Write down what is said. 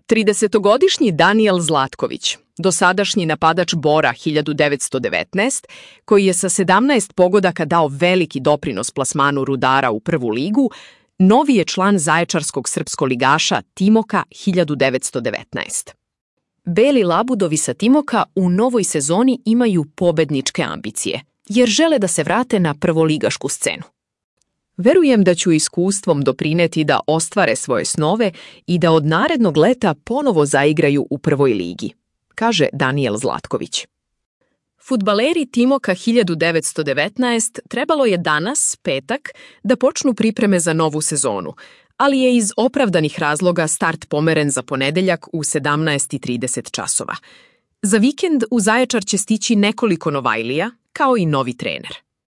30-godišnji Danijel Zlatković, dosadašnji napadač Bora 1919, koji je sa 17 pogodaka dao veliki doprinos plasmanu Rudara u prvu ligu, novi je član zaječarskog srpskoligaša Timoka 1919. Beli labudovi sa Timoka u novoj sezoni imaju pobedničke ambicije, jer žele da se vrate na prvoligašku scenu. Verujem da ću iskustvom doprineti da ostvare svoje snove i da od narednog leta ponovo zaigraju u prvoj ligi, kaže Danijel Zlatković. Fudbaleri Timoka 1919 trebalo je danas, petak, da počnu pripreme za novu sezonu, ali je iz opravdanih razloga start pomeren za ponedeljak u 17:30 časova. Za vikend u Zaječar će stići nekoliko novajlija, kao i novi trener.